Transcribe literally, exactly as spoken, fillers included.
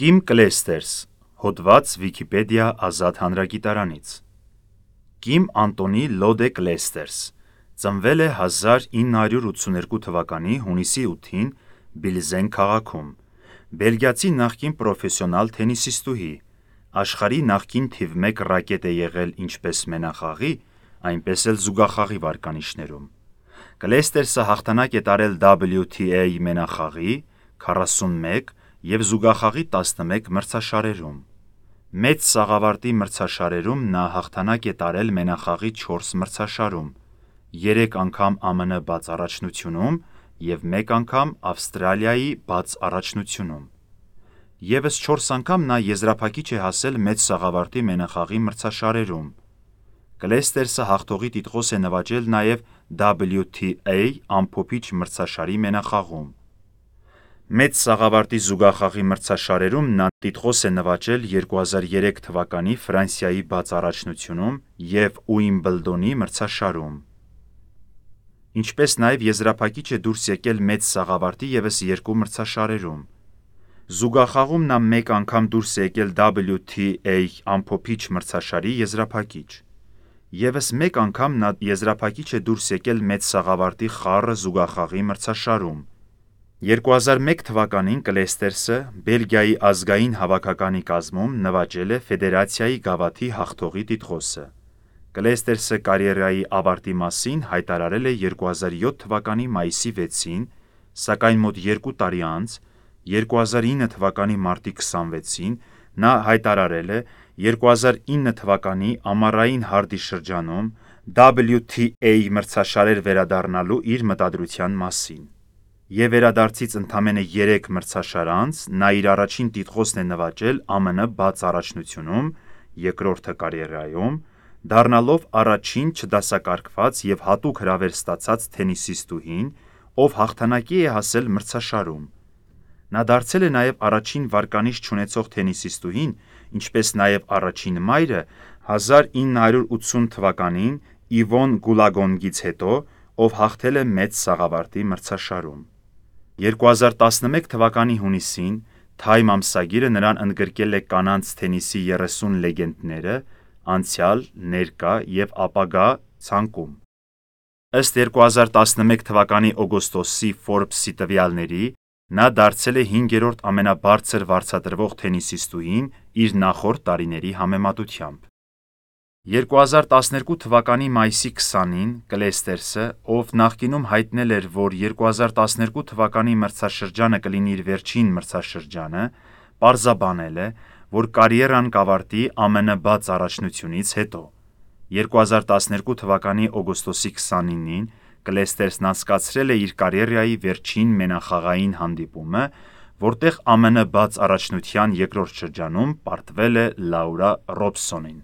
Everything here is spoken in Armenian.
Կիմ Կլեյստերս, հոդված Վիքիպեդիա ազատ հանրագիտարանից։ Կիմ Անտոնի Լոդե Կլեյստերս ծնվել է հազար ինը հարյուր ութսուներկու թվականի հունիսի ութին Բիլզեն քաղաքում, բելգիացի նախկին պրոֆեսիոնալ թենիսիստուհի, աշխարհի նախկին թիվ մեկ ռակետ է եղել ինչպես մենախաղի, այնպես էլ զուգախաղի վարկանիշներում։ Կլեյստերսը հաղթանակ է տարել դաբլյու թի էյ մենախաղի քառասունմեկ և զուգախաղի տասնմեկ մրցաշարերում։ Մեծ սաղավարտի մրցաշարերում նա հաղթանակ է տարել մենախաղի չորս մրցաշարում, երեք անգամ Ամն բաց առաջնությունում և մեկ անգամ Ավստրալիայի բաց առաջնությունում։ Եվս չորս անգամ նա եզրափակիչ է հասել մեծ սաղավարտի մենախաղի մրցաշարերում։ Կլեյստերսը հաղթողի տիտղոս է նվաճել նաև դաբլյու թի էյ ամփոփիչ մրցաշարի մենախաղում։ Մեծ սաղավարտի զուգախաղի մրցաշարերում նա տիտղոս է նվաճել երկու հազար երեք թվականի Ֆրանսիայի բաց առաջնությունում և Ուիմբլդոնի մրցաշարում։ Ինչպես նաև եզրափակիչ է դուրս եկել մեծ սաղավարտի ևս երկու մրցաշարերում։ Զուգախաղում նա մեկ անգամ դուրս է եկել դաբլյու թի էյ ամփոփիչ մրցաշարի եզրափակիչ։ Եվս մեկ անգամ նա եզրափակիչ է դուրս եկել մեծ սաղավարտի խառը զուգախաղի մրցաշարում։ երկու հազար մեկ թվականին Կլեյստերսը Բելգիայի ազգային հավաքականի կազմում նվաճել է ֆեդերացիայի գավաթի հաղթողի տիտղոսը։ Կլեյստերսը կարիերայի ավարտի մասին հայտարարել է երկու հազար յոթ թվականի մայիսի վեցին, սակայն մոտ երկու տարի անց՝ երկու հազար ինը թվականի մարտի քսանվեցին, նա հայտարարել է երկու հազար ինը թվականի ամառային հարդի շրջանում դաբլյու թի էյ մրցաշարեր վերադառնալու իր մտադրության մասին։ Եվ վերադարձից ընդամենը երեք մրցաշար անց նա իր առաջին տիտղոսն է նվաճել Ամն բաց առաջնությունում, երկրորդը կարիերայում, դառնալով առաջին չդասակարգված և հատուկ հրավեր ստացած թենիսիստուհին, ով հաղթանակի է հասել մրցաշարում։ Նա դարձել է նաև առաջին վարկանիշ չունեցող թենիսիստուհին, ինչպես նաև առաջին մայրը հազար ինը հարյուր ութսուն թվականին Իվոն Գուլագոնգից հետո, ով հաղթել է մեծ սաղավարտի մրցաշարում։ երկու հազար տասնմեկ թվականի հունիսին Թայմ ամսագիրը նրան ընդգրկել է կանանց թենիսի երեսուն լեգենդները անցյալ, ներկա և ապագա ցանկում։ Ըստ երկու հազար տասնմեկ թվականի օգոստոսի Forbes-ի տվյալների, նա դարձել է հինգերորդ ամենաբարձր վարձատրվող թենիսիստուհին իր նախորդ տարիների համեմատությամբ։ երկու հազար տասներկու թվականի մայիսի քսանին Կլեյստերսը, ով նախկինում հայտնել էր, որ երկու հազար տասներկու թվականի մրցաշրջանը կլինի իր վերջին մրցաշրջանը, պարզաբանել է, որ կարիերան կավարտի Ամն բաց առաջնությունից հետո։ երկու հազար տասներկու թվականի օգոստոսի քսանինին Կլեյստերսն անցկացրել է իր կարիերայի վերջին մենախաղային հանդիպումը, որտեղ Ամն բաց առաջնության երկրորդ շրջանում պարտվել է Լաուրա Ռոբսոնին։